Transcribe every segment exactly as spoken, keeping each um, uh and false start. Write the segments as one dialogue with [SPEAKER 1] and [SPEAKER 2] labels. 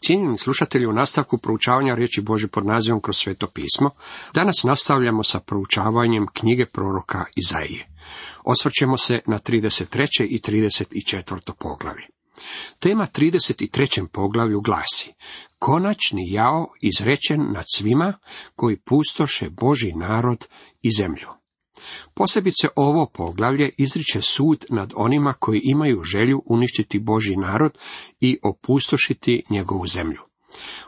[SPEAKER 1] Cijenjeni slušatelji, u nastavku proučavanja riječi Božje pod nazivom Kroz sveto pismo, danas nastavljamo sa proučavanjem knjige proroka Izaije. Osvrćemo se na trideset treće i trideset četvrto poglavlje. Tema trideset trećem poglavlju glasi: Konačni jao izrečen nad svima koji pustoše Božji narod i zemlju. Posebice ovo poglavlje izriče sud nad onima koji imaju želju uništiti Božji narod i opustošiti njegovu zemlju.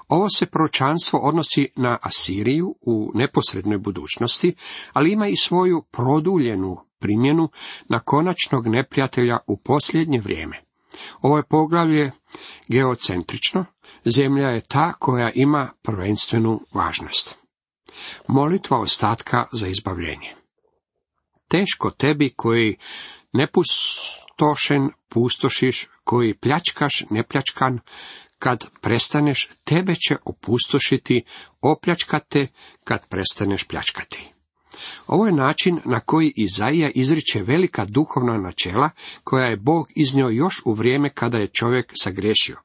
[SPEAKER 1] Ovo se proročanstvo odnosi na Asiriju u neposrednoj budućnosti, ali ima i svoju produljenu primjenu na konačnog neprijatelja u posljednje vrijeme. Ovo je poglavlje geocentrično, zemlja je ta koja ima prvenstvenu važnost. Molitva ostatka za izbavljenje. Teško tebi koji nepustošen pustošiš, koji pljačkaš nepljačkan, kad prestaneš, tebe će opustošiti, opljačkate kad prestaneš pljačkati. Ovo je način na koji Izaija izriče velika duhovna načela koja je Bog iznio još u vrijeme kada je čovjek sagriješio.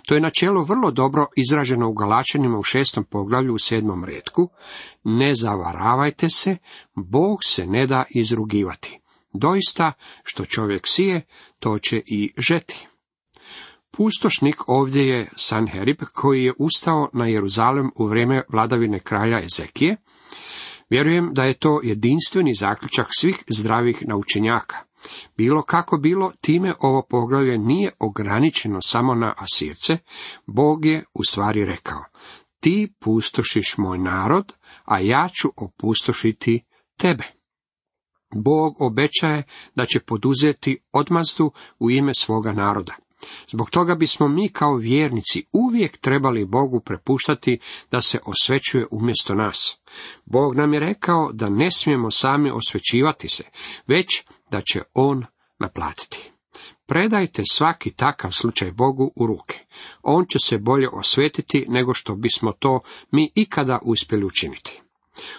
[SPEAKER 1] To je načelo vrlo dobro izraženo u Galačanima u šestom poglavlju u sedmom retku. Ne zavaravajte se, Bog se ne da izrugivati. Doista, što čovjek sije, to će i žeti. Pustošnik ovdje je Sanherib, koji je ustao na Jeruzalem u vrijeme vladavine kralja Ezekije. Vjerujem da je to jedinstveni zaključak svih zdravih naučenjaka. Bilo kako bilo, time ovo poglavlje nije ograničeno samo na Asirce. Bog je u stvari rekao: ti pustošiš moj narod, a ja ću opustošiti tebe. Bog obećaje da će poduzeti odmazdu u ime svoga naroda. Zbog toga bismo mi kao vjernici uvijek trebali Bogu prepuštati da se osvećuje umjesto nas. Bog nam je rekao da ne smijemo sami osvećivati se, već da će On naplatiti. Predajte svaki takav slučaj Bogu u ruke. On će se bolje osvetiti nego što bismo to mi ikada uspjeli učiniti.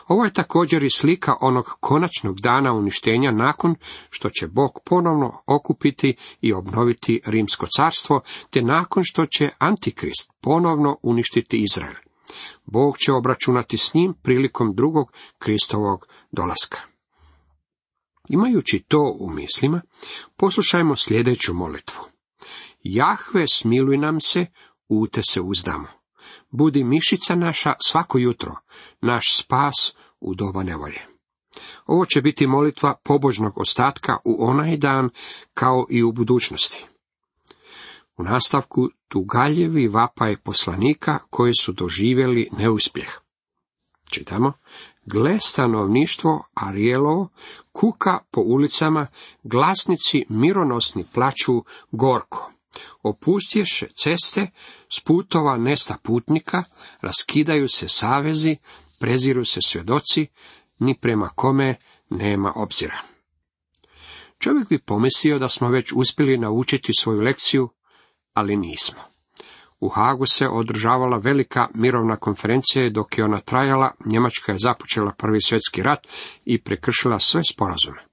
[SPEAKER 1] Ovo je također i slika onog konačnog dana uništenja nakon što će Bog ponovno okupiti i obnoviti Rimsko carstvo, te nakon što će Antikrist ponovno uništiti Izrael. Bog će obračunati s njim prilikom drugog Kristovog dolaska. Imajući to u mislima, poslušajmo sljedeću molitvu. Jahve, smiluj nam se, u te se uzdamo. Budi mišica naša svako jutro, naš spas u doba nevolje. Ovo će biti molitva pobožnog ostatka u onaj dan kao i u budućnosti. U nastavku tugaljevi vapaj poslanika koji su doživjeli neuspjeh. Čitamo: gle, stanovništvo Arijelovo kuka po ulicama, glasnici mironosni plaču gorko. Opustješe ceste, s putova nesta putnika, raskidaju se savezi, preziru se svjedoci, ni prema kome nema obzira. Čovjek bi pomislio da smo već uspjeli naučiti svoju lekciju, ali nismo. U Hagu se održavala velika mirovna konferencija i dok je ona trajala, Njemačka je započela Prvi svjetski rat i prekršila sve sporazume.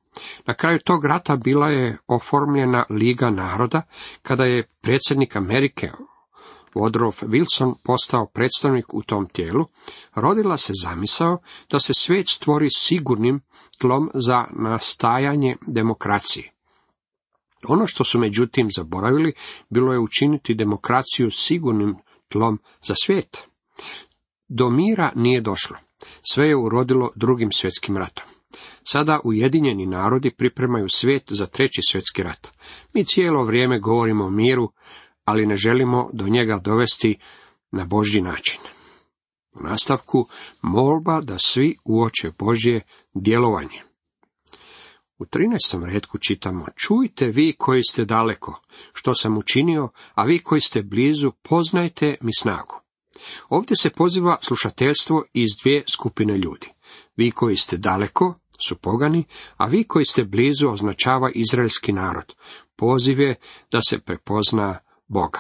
[SPEAKER 1] Na kraju tog rata bila je oformljena Liga naroda, kada je predsjednik Amerike Woodrow Wilson postao predstavnik u tom tijelu. Rodila se zamisao da se svijet stvori sigurnim tlom za nastajanje demokracije. Ono što su međutim zaboravili bilo je učiniti demokraciju sigurnim tlom za svijet. Do mira nije došlo. Sve je urodilo drugim svjetskim ratom. Sada Ujedinjeni narodi pripremaju svijet za treći svjetski rat. Mi cijelo vrijeme govorimo o miru, ali ne želimo do njega dovesti na Božji način. U nastavku molba da svi uoče Božje djelovanje. U trinaestom retku čitamo: čujte vi koji ste daleko, što sam učinio, a vi koji ste blizu, poznajte mi snagu. Ovdje se poziva slušateljstvo iz dvije skupine ljudi. Vi koji ste daleko su pogani, a vi koji ste blizu označava izraelski narod. Poziv je da se prepozna Boga.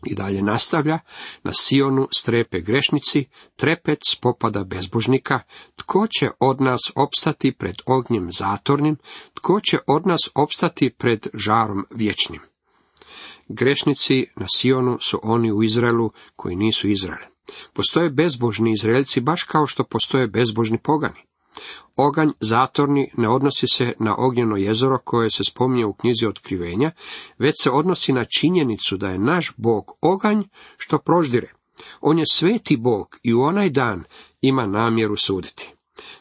[SPEAKER 1] I dalje nastavlja: na Sionu strepe grešnici, trepet spopada bezbožnika, tko će od nas opstati pred ognjem zatornim, tko će od nas opstati pred žarom vječnim. Grešnici na Sionu su oni u Izraelu koji nisu Izrael. Postoje bezbožni Izraelci baš kao što postoje bezbožni pogani. Oganj zatorni ne odnosi se na ognjeno jezero koje se spominje u knjizi Otkrivenja, već se odnosi na činjenicu da je naš Bog oganj što proždire. On je sveti Bog i u onaj dan ima namjeru suditi.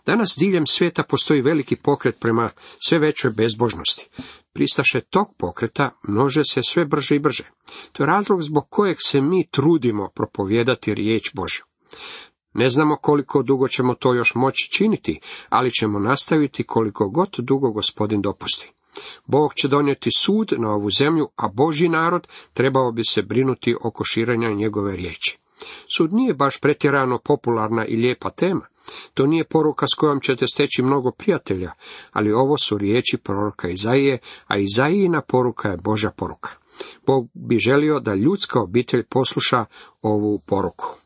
[SPEAKER 1] Danas diljem svijeta postoji veliki pokret prema sve većoj bezbožnosti. Pristaše tog pokreta množe se sve brže i brže. To je razlog zbog kojeg se mi trudimo propovijedati riječ Božju. Ne znamo koliko dugo ćemo to još moći činiti, ali ćemo nastaviti koliko god dugo Gospodin dopusti. Bog će donijeti sud na ovu zemlju, a Božji narod trebao bi se brinuti oko širenja njegove riječi. Sud nije baš pretjerano popularna i lijepa tema. To nije poruka s kojom ćete steći mnogo prijatelja, ali ovo su riječi proroka Izaije, a Izaijina poruka je Božja poruka. Bog bi želio da ljudska obitelj posluša ovu poruku.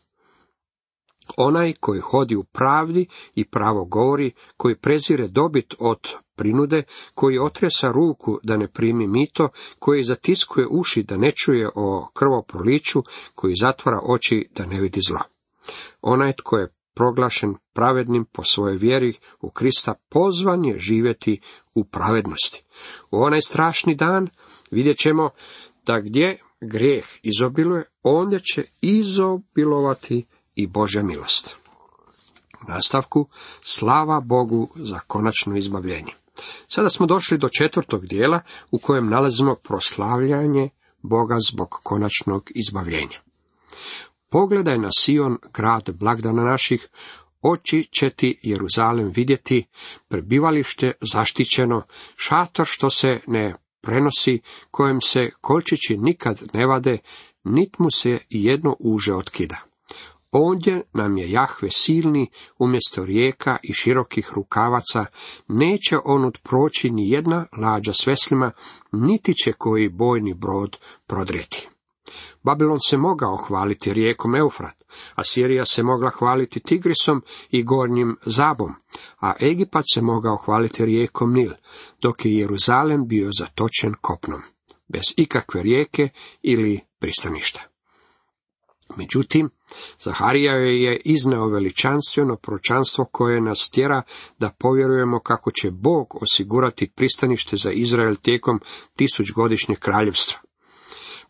[SPEAKER 1] Onaj koji hodi u pravdi i pravo govori, koji prezire dobit od prinude, koji otresa ruku da ne primi mito, koji zatiskuje uši da ne čuje o krvoproliću, koji zatvara oči da ne vidi zla. Onaj tko je proglašen pravednim po svojoj vjeri u Krista pozvan je živjeti u pravednosti. U onaj strašni dan vidjet ćemo da gdje grijeh izobiluje, ondje će izobilovati i Božja milost. U nastavku, slava Bogu za konačno izbavljenje. Sada smo došli do četvrtog dijela u kojem nalazimo proslavljanje Boga zbog konačnog izbavljenja. Pogledaj na Sion, grad blagdana naših, oči će ti Jeruzalem vidjeti, prebivalište zaštićeno, šator što se ne prenosi, kojem se kolčići nikad ne vade, nit mu se jedno uže otkida. Ondje nam je Jahve silni, umjesto rijeka i širokih rukavaca, neće onud proći ni jedna lađa s veslima, niti će koji bojni brod prodrijeti. Babilon se mogao hvaliti rijekom Eufrat, Asirija se mogla hvaliti Tigrisom i gornjim Zabom, a Egipat se mogao hvaliti rijekom Nil, dok je Jeruzalem bio zatočen kopnom, bez ikakve rijeke ili pristaništa. Međutim, Zaharija je izneo veličanstveno proročanstvo koje nas tjera da povjerujemo kako će Bog osigurati pristanište za Izrael tijekom tisućgodišnjeg kraljevstva.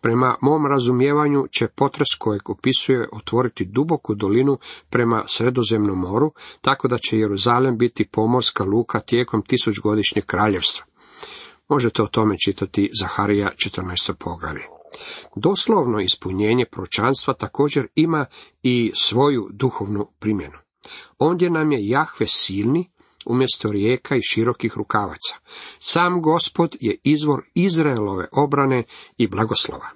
[SPEAKER 1] Prema mom razumijevanju će potres kojeg opisuje otvoriti duboku dolinu prema Sredozemnom moru, tako da će Jeruzalem biti pomorska luka tijekom tisućgodišnjeg kraljevstva. Možete o tome čitati Zaharija četrnaesto poglavlje. Doslovno ispunjenje proročanstva također ima i svoju duhovnu primjenu. Ondje nam je Jahve silni, umjesto rijeka i širokih rukavaca. Sam Gospod je izvor Izraelove obrane i blagoslova.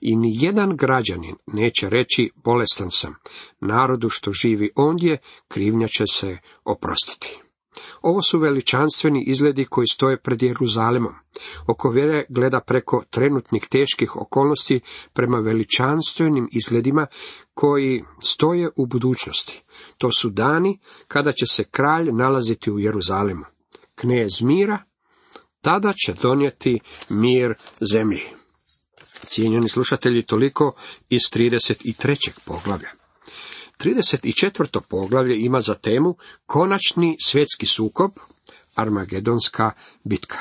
[SPEAKER 1] I ni jedan građanin neće reći bolestan sam. Narodu što živi ondje, krivnja će se oprostiti. Ovo su veličanstveni izgledi koji stoje pred Jeruzalemom. Oko vjere gleda preko trenutnih teških okolnosti prema veličanstvenim izgledima koji stoje u budućnosti. To su dani kada će se kralj nalaziti u Jeruzalemu. Knez mira, tada će donijeti mir zemlji. Cijenjeni slušatelji, toliko iz trideset trećeg poglavlja. trideset četvrto poglavlje ima za temu konačni svjetski sukob, Armagedonska bitka.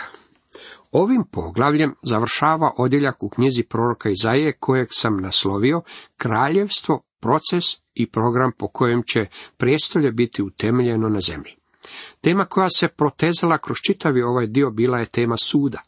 [SPEAKER 1] Ovim poglavljem završava odjeljak u knjizi proroka Izaije kojeg sam naslovio Kraljevstvo, proces i program po kojem će prijestolje biti utemeljeno na zemlji. Tema koja se protezala kroz čitavi ovaj dio bila je tema suda.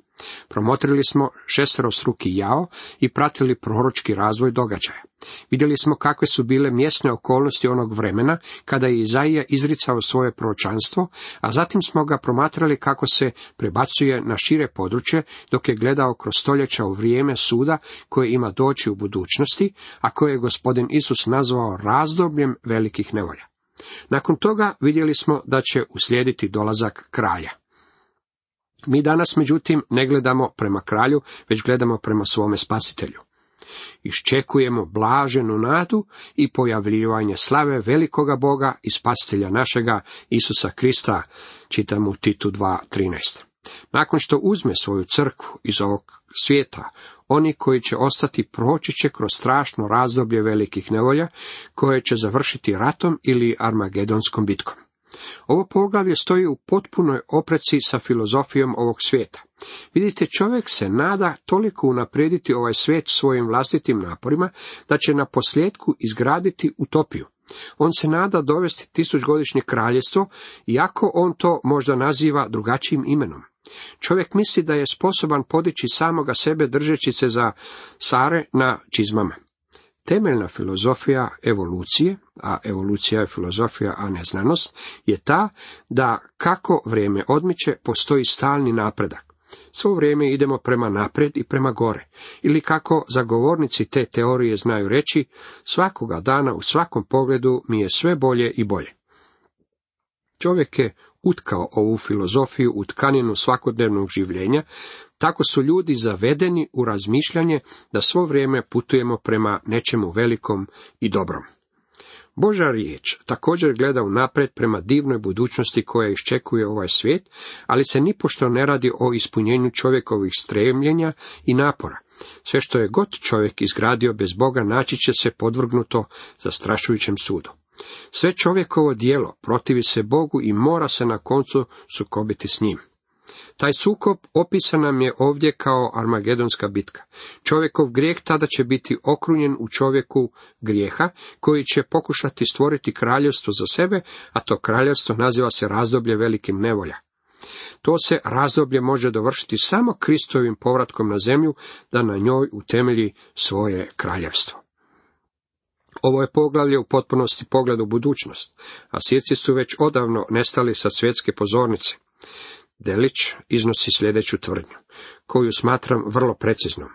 [SPEAKER 1] Promotrili smo šesterostruki jao i pratili proročki razvoj događaja. Vidjeli smo kakve su bile mjesne okolnosti onog vremena kada je Izaija izricao svoje proročanstvo, a zatim smo ga promatrali kako se prebacuje na šire područje dok je gledao kroz stoljeća u vrijeme suda koje ima doći u budućnosti, a koje je gospodin Isus nazvao razdobljem velikih nevolja. Nakon toga vidjeli smo da će uslijediti dolazak kralja. Mi danas, međutim, ne gledamo prema kralju, već gledamo prema svome spasitelju. Iščekujemo blaženu nadu i pojavljivanje slave velikoga Boga i spasitelja našega Isusa Krista, čitamo u Titu dva trinaest. Nakon što uzme svoju crkvu iz ovog svijeta, Oni koji će ostati proći će kroz strašno razdoblje velikih nevolja, koje će završiti ratom ili armagedonskom bitkom. Ovo poglavlje stoji u potpunoj opreci sa filozofijom ovog svijeta. Vidite, čovjek se nada toliko unaprijediti ovaj svijet svojim vlastitim naporima, da će na posljedku izgraditi utopiju. On se nada dovesti tisućgodišnje kraljevstvo, iako on to možda naziva drugačijim imenom. Čovjek misli da je sposoban podići samoga sebe držeći se za sare na čizmama. Temeljna filozofija evolucije, a evolucija je filozofija, a ne znanost, je ta da kako vrijeme odmiče postoji stalni napredak. Svo vrijeme idemo prema naprijed i prema gore. Ili kako zagovornici te teorije znaju reći, svakoga dana u svakom pogledu mi je sve bolje i bolje. Čovjek je utkao ovu filozofiju u tkaninu svakodnevnog življenja, tako su ljudi zavedeni u razmišljanje da svo vrijeme putujemo prema nečemu velikom i dobrom. Božja riječ također gleda unaprijed prema divnoj budućnosti koja iščekuje ovaj svijet, ali se nipošto ne radi o ispunjenju čovjekovih stremljenja i napora. Sve što je god čovjek izgradio bez Boga naći će se podvrgnuto zastrašujućem sudu. Sve čovjekovo djelo protivi se Bogu i mora se na koncu sukobiti s njim. Taj sukob opisan nam je ovdje kao armagedonska bitka. Čovjekov grijeh tada će biti okrunjen u čovjeku grijeha, koji će pokušati stvoriti kraljevstvo za sebe, a to kraljevstvo naziva se razdoblje velikim nevolja. To se razdoblje može dovršiti samo Kristovim povratkom na zemlju, da na njoj utemelji svoje kraljevstvo. Ovo je poglavlje u potpunosti pogled u budućnost, a Sirci su već odavno nestali sa svjetske pozornice. Delić iznosi sljedeću tvrdnju, koju smatram vrlo preciznom.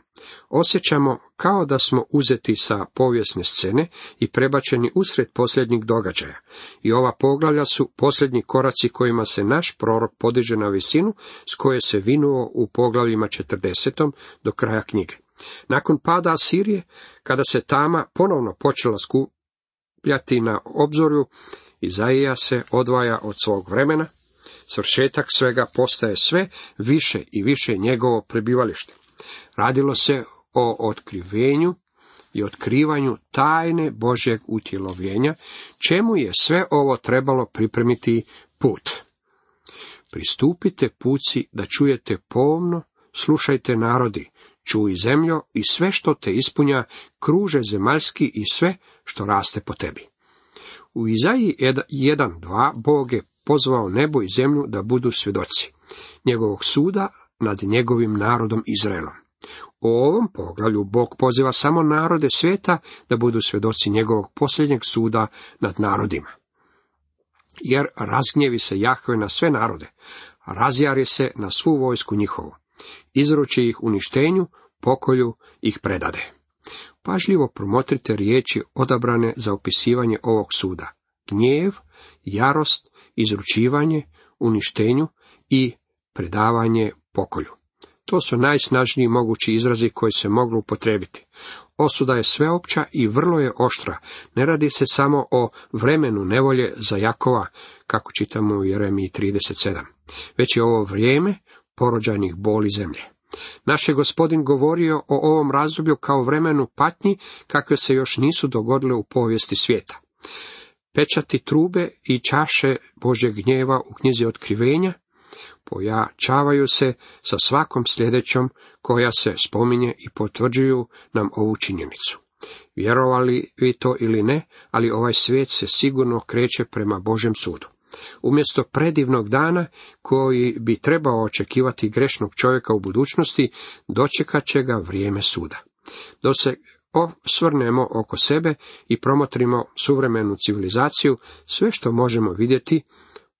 [SPEAKER 1] Osjećamo kao da smo uzeti sa povijesne scene i prebačeni usred posljednjih događaja. I ova poglavlja su posljednji koraci kojima se naš prorok podiže na visinu, s koje se vinuo u poglavljima četrdesetom do kraja knjige. Nakon pada Asirije, kada se tama ponovno počela skupljati na obzorju, Izaija se odvaja od svog vremena. Svršetak svega postaje sve više i više njegovo prebivalište. Radilo se o otkrivenju i otkrivanju tajne Božjeg utjelovljenja, čemu je sve ovo trebalo pripremiti put. Pristupite puci da čujete pomno, slušajte narodi, čuj zemljo i sve što te ispunja, kruže zemaljski i sve što raste po tebi. U Izaiji jedan dva Bog je pozvao nebo i zemlju da budu svjedoci njegovog suda nad njegovim narodom Izraelom. U ovom poglavlju Bog poziva samo narode svijeta da budu svjedoci njegovog posljednjeg suda nad narodima. Jer razgnjevi se Jahve na sve narode, razjari se na svu vojsku njihovu, izruči ih uništenju, pokolju ih predade. Pažljivo promotrite riječi odabrane za opisivanje ovog suda: gnjev, jarost, izručivanje, uništenju i predavanje pokolju. To su najsnažniji mogući izrazi koji se moglu upotrijebiti. Osuda je sveopća i vrlo je oštra. Ne radi se samo o vremenu nevolje za Jakova, kako čitamo u Jeremiji trideset sedam, već je ovo vrijeme porođajnih boli zemlje. Naš je Gospodin govorio o ovom razdoblju kao vremenu patnji, kakve se još nisu dogodile u povijesti svijeta. Pečati trube i čaše Božjeg gnjeva u knjizi Otkrivenja pojačavaju se sa svakom sljedećom koja se spominje i potvrđuju nam ovu činjenicu. Vjerovali vi to ili ne, ali ovaj svijet se sigurno kreće prema Božjem sudu. Umjesto predivnog dana koji bi trebao očekivati grešnog čovjeka u budućnosti, dočekat će ga vrijeme suda. Dok se osvrnemo oko sebe i promotrimo suvremenu civilizaciju, sve što možemo vidjeti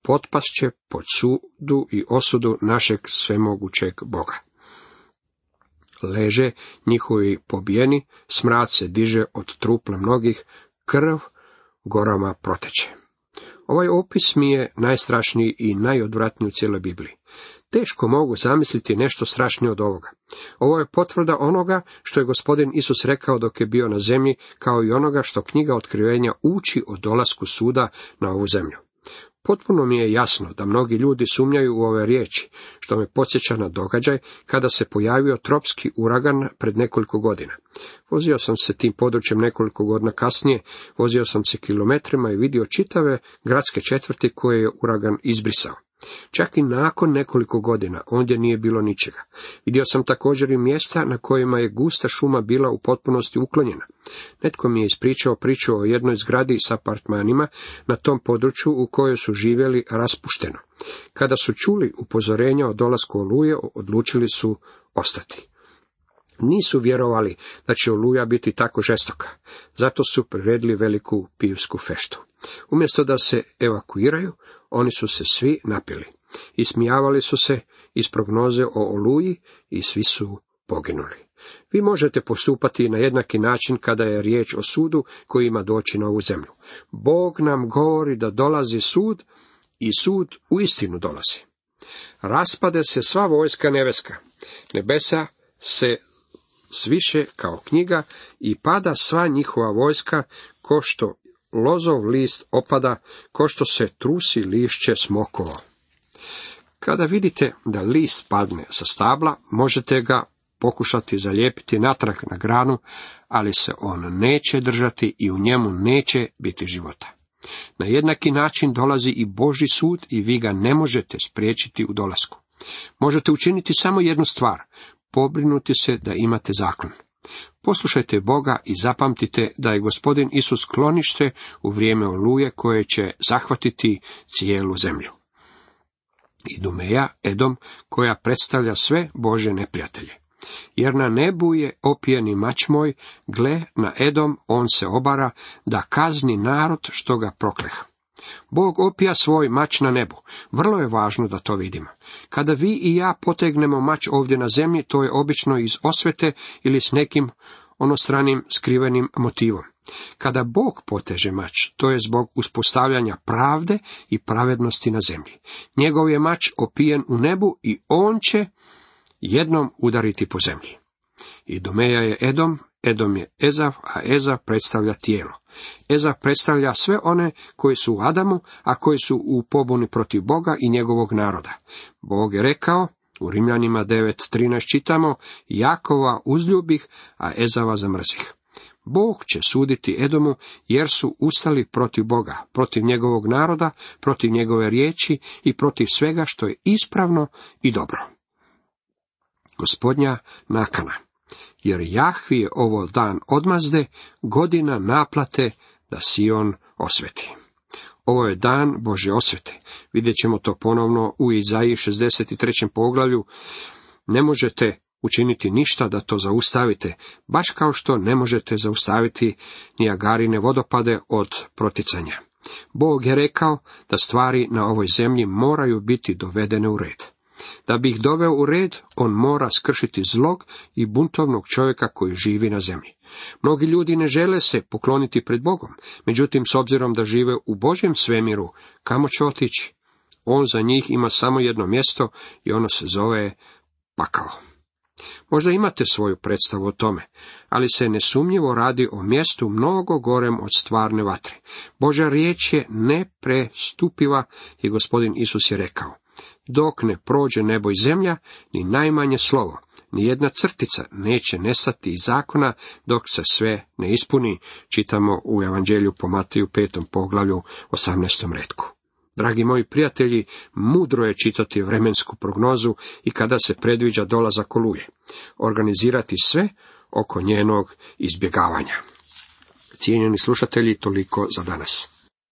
[SPEAKER 1] potpast će pod sudu i osudu našeg svemogućeg Boga. Leže njihovi pobijeni, smrad se diže od trupla mnogih, krv gorama proteče. Ovaj opis mi je najstrašniji i najodvratniji u cijeloj Bibliji. Teško mogu zamisliti nešto strašnije od ovoga. Ovo je potvrda onoga što je Gospodin Isus rekao dok je bio na zemlji, kao i onoga što knjiga Otkrivenja uči o dolasku suda na ovu zemlju. Potpuno mi je jasno da mnogi ljudi sumnjaju u ove riječi, što me podsjeća na događaj kada se pojavio tropski uragan pred nekoliko godina. Vozio sam se tim područjem nekoliko godina kasnije, vozio sam se kilometrima i vidio čitave gradske četvrti koje je uragan izbrisao. Čak i nakon nekoliko godina ondje nije bilo ničega. Vidio sam također i mjesta na kojima je gusta šuma bila u potpunosti uklonjena. Netko mi je ispričao priču o jednoj zgradi s apartmanima na tom području u kojoj su živjeli raspušteno. Kada su čuli upozorenja o dolasku oluje, odlučili su ostati. Nisu vjerovali da će oluja biti tako žestoka, zato su priredili veliku pivsku feštu. Umjesto da se evakuiraju, oni su se svi napili. Ismijavali su se iz prognoze o oluji i svi su poginuli. Vi možete postupati na jednaki način kada je riječ o sudu koji ima doći na ovu zemlju. Bog nam govori da dolazi sud i sud uistinu dolazi. Raspade se sva vojska nebeska. Nebesa se sviše kao knjiga i pada sva njihova vojska, ko što lozov list opada, ko što se trusi lišće smokova. Kada vidite da list padne sa stabla, možete ga pokušati zalijepiti natrag na granu, ali se on neće držati i u njemu neće biti života. Na jednaki način dolazi i Božji sud i vi ga ne možete spriječiti u dolasku. Možete učiniti samo jednu stvar, pobrinuti se da imate zaklon. Poslušajte Boga i zapamtite da je Gospodin Isus sklonište u vrijeme oluje koje će zahvatiti cijelu zemlju. Idumeja, Edom, koja predstavlja sve Božje neprijatelje. Jer na nebu je opijeni mač moj, gle, na Edom on se obara, da kazni narod što ga prokleha. Bog opija svoj mač na nebu. Vrlo je važno da to vidimo. Kada vi i ja potegnemo mač ovdje na zemlji, to je obično iz osvete ili s nekim onostranim skrivenim motivom. Kada Bog poteže mač, to je zbog uspostavljanja pravde i pravednosti na zemlji. Njegov je mač opijen u nebu i on će jednom udariti po zemlji. Idumeja je Edom, Edom je Ezav, a Ezav predstavlja tijelo. Ezav predstavlja sve one koji su u Adamu, a koji su u pobuni protiv Boga i njegovog naroda. Bog je rekao, u Rimljanima devet trinaest čitamo, Jakova uzljubih, a Ezava zamrzih. Bog će suditi Edomu, jer su ustali protiv Boga, protiv njegovog naroda, protiv njegove riječi i protiv svega što je ispravno i dobro. Gospodnja nakana. Jer Jahvi je ovo dan odmazde, godina naplate da Sion osveti. Ovo je dan Božje osvete. Vidjet ćemo to ponovno u Izaiji šezdeset trećem poglavlju. Ne možete učiniti ništa da to zaustavite, baš kao što ne možete zaustaviti Nijagarine vodopade od proticanja. Bog je rekao da stvari na ovoj zemlji moraju biti dovedene u red. Da bi ih doveo u red, on mora skršiti zlog i buntovnog čovjeka koji živi na zemlji. Mnogi ljudi ne žele se pokloniti pred Bogom, međutim, s obzirom da žive u Božjem svemiru, kamo će otići? On za njih ima samo jedno mjesto i ono se zove pakao. Možda imate svoju predstavu o tome, ali se nesumnjivo radi o mjestu mnogo gorem od stvarne vatre. Božja riječ je neprestupiva i Gospodin Isus je rekao, dok ne prođe nebo i zemlja, ni najmanje slovo, ni jedna crtica neće nestati iz zakona dok se sve ne ispuni, čitamo u Evanđelju po Mateju petom poglavlju osamnaestom retku. Dragi moji prijatelji, mudro je čitati vremensku prognozu i kada se predviđa dolazak oluje, organizirati sve oko njenog izbjegavanja. Cijenjeni slušatelji, toliko za danas.